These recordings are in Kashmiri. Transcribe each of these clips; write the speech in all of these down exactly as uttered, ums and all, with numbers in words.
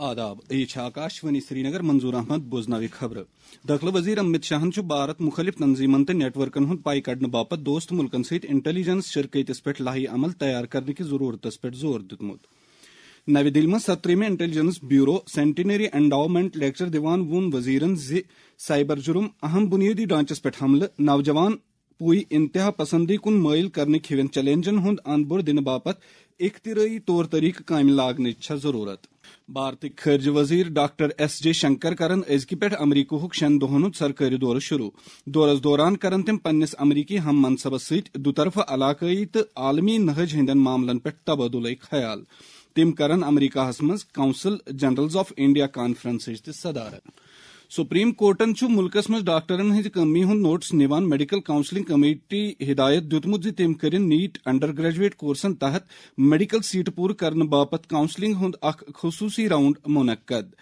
آداب، یہِ چھِ آکاش وانی سرینگر، منظور احمد بوزناوِ خبرٕ۔ دٲخلہٕ وزیر امت شاہن چھُ بھارت مُخٲلِف تنظیٖمن تہٕ نیٹ ورکن ہُنٛد پاے کڑنہٕ باپتھ دوست مُلکن سۭتۍ انٹیلیجنس شرکٲتِس پٮ۪ٹھ لایحہ عمل تیار کرنہٕ کِس ضروٗرتس پٮ۪ٹھ زور دیُتمُت۔ نَوِ دِلہِ منٛز سترٛہمہِ انٹیلیجنس بیورو سینٹینری انڈاومنٹ لیکچر دِوان ووٚن وزیرن زِ سائبر جرم اہم بنیٲدی ڈھانچس پٮ۪ٹھ حملہٕ، نوجوان پوٗرٕ انتہا پسندی کُن مٲیِل کرنٕکۍ ہِوٮ۪ن چیلنجن ہُنٛد انبور دِنہٕ باپتھ اختراعی طور طریقہٕ کامہِ لاگنٕچ چھےٚ ضروٗرت۔ بھارتٕکۍ خارجہ وزیر ڈاکٹر ایس جے شنکر کرن أزکہِ پٮ۪ٹھ امریکہُک شٮ۪ن دۄہن ہُنٛد سرکٲری دورٕ شروع۔ دورس دوران کرن تِم پننِس امریکی ہم منصبس سۭتۍ دُطرفہٕ، علاقٲیی تہٕ عالمی نہج ہٕنٛدٮ۪ن معاملن پٮ۪ٹھ تبادلہٕ خیال۔ تِم کرن امریکہس منٛز کونسل جنرلز آف انڈیا کانفرنسٕچ تہِ صدارت۔ سپریم کورٹن چھُ مُلکس منٛز ڈاکٹرن ہٕنٛزِ کٔمی ہُنٛد نوٹس نِوان میڈیکل کونسلنگ کمیٹی ہدایت دیُتمُت زِ تِم کٔرِن نیٹ انڈر گریجویٹ کورسن تحت میڈیکل سیٹہٕ پوٗرٕ کرنہٕ باپتھ کونسلنگ ہُنٛد اکھ خصوٗصی راؤنڈ منعقد۔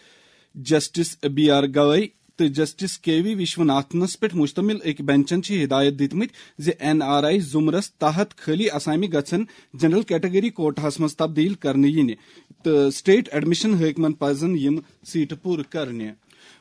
جسٹس بی آر گوئی تہٕ جسٹس کے وی وشوناتھنس پٮ۪ٹھ مشتمل أکۍ بینچن چھِ ہدایت دِتمٕتۍ زِ این آر آئی زمرس تحت خٲلی اسامہِ گژھن جنرل کیٹگری کوٹاہس منٛز تبدیل کرنہٕ یِنہِ تہٕ سٹیٹ ایڈمشن حٲکمن پزن یِم سیٹہٕ پوٗرٕ کرنہِ۔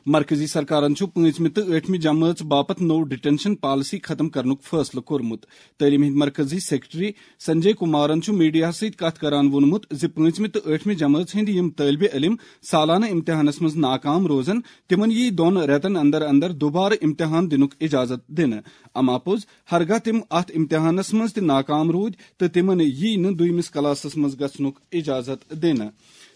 مرکزی سرکارن چھُ پٲنٛژمہِ تہٕ ٲٹھمہِ جمٲژ باپتھ نوٚو ڈیٹینشن پالیسی ختم کرنُک فٲصلہٕ کوٚرمُت۔ تعلیٖم ہٕنٛدۍ مرکزی سیکرٹری سنجے کمارن چھُ میڈیاہَس سۭتۍ کتھ کران ووٚنمُت زِ پٲنٛژمہِ تہٕ ٲٹھمہِ جمٲژ ہٕنٛدۍ یِم طٲلبہِ علم سالانہٕ امتحانس منٛز ناکام روزن، تِمن یِیہِ دۄن رٮ۪تن اندر اندر دوبارٕ امتحان دِنُک اجازت دِنہٕ۔ اما پوٚز، ہرگاہ تِم اتھ امتحانس منٛز تہِ ناکام روٗدۍ تہٕ تِمن یِیہِ نہٕ دوٚیمِس کلاسس منٛز گژھنُک اجازت دِنہٕ۔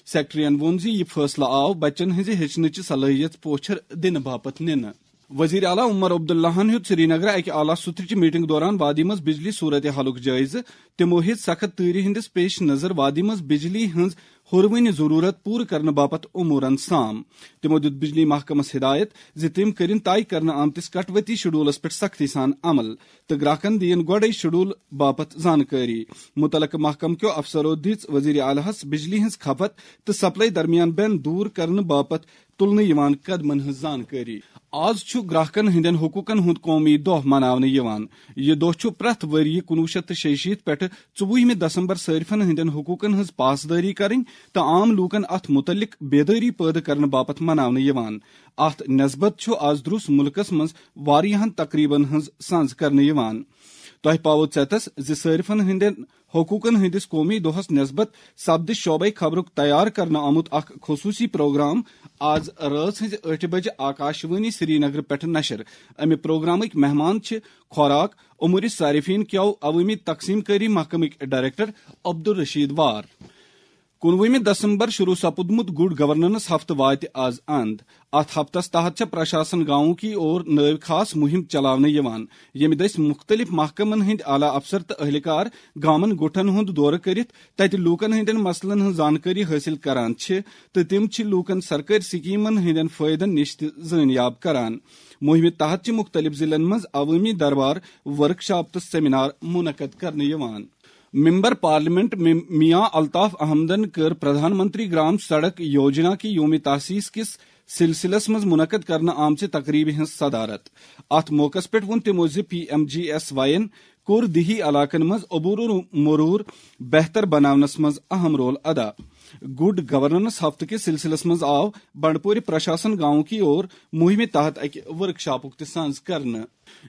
سیکرٹریَن ووٚن زِ یہِ فٲصلہٕ آو بچن ہٕنٛزِ ہیٚچھنٕچہِ صلٲحیت پوچھر دِنہٕ باپتھ نِنہٕ۔ وزیر اعلیٰ عمر عبداللہَن ہیوٚت سرینگرٕ اکہِ اعلیٰ سطحٕچہِ میٹنگ دوران وادی منٛز بجلی صورت حالُک جٲیزٕ۔ تِمو ہیٚژ سخت تۭرِ ہٕنٛدِس پیش نظر وادی منٛز بجلی ہٕنٛز ہُروٕنہِ ضروٗرت پوٗرٕ کرنہٕ باپتھ امورن سام۔ تِمو دیُت بجلی محکمس ہدایت زِ تِم کٔرِن طے کرنہٕ آمتِس کٹوتی شیڈولس پٮ۪ٹھ سختی سان عمل تہٕ گراہکن دِیِن گۄڈَے شیڈول باپتھ زانکٲری۔ مُتعلقہٕ محکمہٕ کیو افسرو دِژ وزیر اعلیٰ ہَس بجلی ہٕنٛز کھپت تہٕ سپلائی درمیان بین دور کرنہٕ باپتھ تُلنہٕ یِوان قدمن ہٕنٛز زانکٲری۔ آز چھُ گراہکن ہٕنٛدٮ۪ن حقوقن ہُنٛد قومی دۄہ مناونہٕ یِوان۔ یہِ دۄہ چھُ پرٛٮ۪تھ ؤرۍ یہِ کُنوُہ شیٚتھ تہٕ شیٚیہِ شیٖتھ پٮ۪ٹھٕ ژوٚوُہمہِ دسمبر صٲرفن ہٕنٛدٮ۪ن حقوقن ہٕنٛز پاسدٲری کرٕنۍ تہٕ عام لوٗکن اتھ مُتعلق بیدٲری پٲدٕ کرنہٕ باپتھ مناونہٕ یِوان۔ اتھ نسبت چھُ آز دروس مُلکس منٛز واریاہن تقریبن ہٕنٛز سانز کرنہٕ یِوان۔ تۄہہِ پاوو ژیتس زِ صٲرفن ہٕنٛدٮ۪ن حقوقن ہٕنٛدِس قومی دۄہس نسبت سپدِ شعبے خبرُک تیار کرنہٕ آمُت اکھ خصوٗصی پروگرام آز رٲژ ہٕنٛزِ ٲٹھِ بجہِ آکاشوانی سرینگرٕ پٮ۪ٹھٕ نشر۔ امہِ پروگرامٕکۍ مہمان چھِ خوراک امور صارفین کیو عوٲمی تقسیم کٲری محکمٕکۍ ڈائریکٹر عبدالرشید وار۔ کُنوُہمہِ دسمبر شروع سپُدمُت گڈ گورننس ہفتہٕ واتہِ آز اند۔ اتھ ہفتس تحت چھےٚ پرشاسن گاؤں کی اور نٲوۍ خاص مُہِم چلاونہٕ یِوان، ییٚمہِ دٔسۍ مُختٔلِف محکمن ہٕنٛدۍ اعلیٰ افسر تہٕ اہلکار گامن گوٹھن ہُنٛد دورٕ کٔرِتھ تتہِ لوٗکن ہٕنٛدٮ۪ن مسلن ہٕنٛز زانکٲری حٲصِل کران چھِ تہٕ تِم چھِ لوٗکن سرکٲرۍ سکیمن ہٕنٛدٮ۪ن فٲیدن نِش تہِ زٲنیاب کران۔ مُہِمہِ تحت چھِ مُختٔلِف ضلعن منٛز عوٲمی دربار، ورکشاپ تہٕ سیمینار منعقد کرنہٕ یِوان۔ ممبر پارلیمنٹ م-، میاں الطاف احمدن کٔر پردھان منتری گرام سڑک یوجنا کی یوم تاسیس کِس سلسلس منٛز منعقد کرنہٕ آمژِ تقریبہِ ہٕنٛز صدارت۔ اتھ موقعس پٮ۪ٹھ ووٚن تِمو زِ پی ایم جی ایس واین کوٚر دیہی علاقن منٛز عبور و مرور بہتر بناونس منٛز اہم رول ادا۔ گڈ گورننس ہفتہٕ کِس سلسلس منٛز آو بنڈپورِ پرشاسن گاؤں کی اور مُہِمہِ تحت اکہِ ورکشاپُک تہِ سانز کرنہٕ۔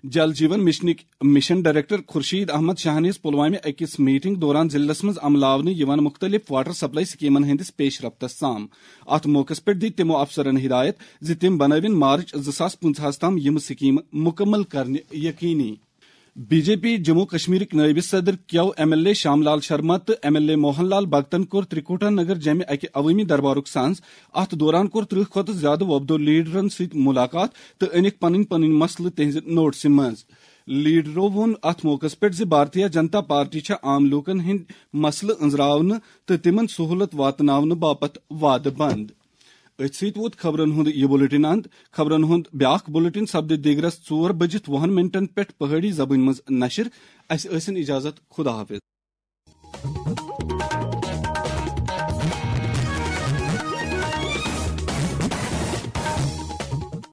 جل جیون مشنٕکۍ مشن ڈائریکٹر خورشید احمد شاہن ہیٚژ پلوامہِ أکِس میٹنگ دوران ضلعس منٛز عملاونہٕ یِوان مُختٔلِف واٹر سپلائی سکیمن ہٕنٛدِس پیش رفتس سام۔ اتھ موقعس پٮ۪ٹھ دِتۍ تِمو افسرن ہدایت زِ تِم بنٲوِن مارچ زٕ ساس پٕنٛژٕہَس تام یِم سکیمہٕ مُکمل کرنہِ یقینی۔ بی جے پی جموں کشمیرٕکۍ نٲیِب صدر کیو ایم ایل اے شام لال شرما تہٕ ایم ایل اے موہن لال بھگتن کوٚر ترکوٹا نگر جمہِ اکہِ عوٲمی دربارُک سانز۔ اتھ دوران کوٚر ترٕٛہ کھۄتہٕ زیادٕ وۄپدو لیڈرن سۭتۍ ملاقات تہٕ أنِکھ پنٕنۍ پنٕنۍ مسلہٕ تِہنزِ نوٹسہِ منٛز۔ لیڈرو ووٚن اتھ موقعس پٮ۪ٹھ زِ بھارتیہ جنتا پارٹی چھےٚ عام لوٗکن ہٕنٛدۍ مسلہٕ أنٛزراونہٕ تہٕ تِمن سہولت واتناونہٕ باپتھ وعدٕ بنٛد۔ أتھۍ سۭتۍ ووت خبرن ہُنٛد یہِ بُلٹن اند۔ خبرن ہُنٛد بیاکھ بُلٹن سپدِ دیگرس ژور بٔجِتھ وُہن منٹن پٮ۪ٹھ پہٲڑی زبٲنۍ منٛز نشر۔ اسہِ ٲسِن اجازت، خدا حافظ۔